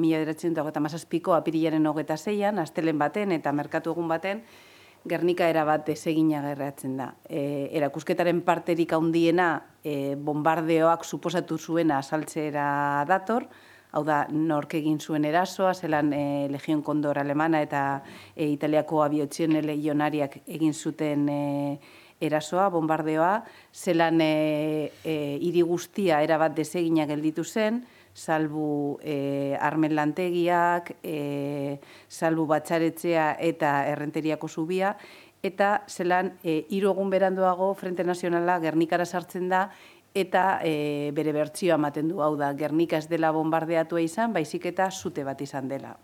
1937ko apirilaren 26an, astelen baten eta merkatu egun baten, Gernika erabat desegina gerratzen da. Erakusketaren parterik handiena bombardeoak suposatu zuena azaltzera dator, hau da, nork egin zuen erasoa, zelan Legion Kondor alemana eta Italiako abiotxien legionariak egin zuten erasoa, bombardeoa, zelan hiri guztia erabat desegina gelditu zen, salbu armen lantegiak, salbu batxaretzea eta errenteriako zubia, eta zelan 3 egun beranduago Frente Nazionala Gernikara sartzen da, eta bere bertsioa ematen du, hau da, Gernika ez dela bombardeatua izan, baizik eta sute bat izan dela.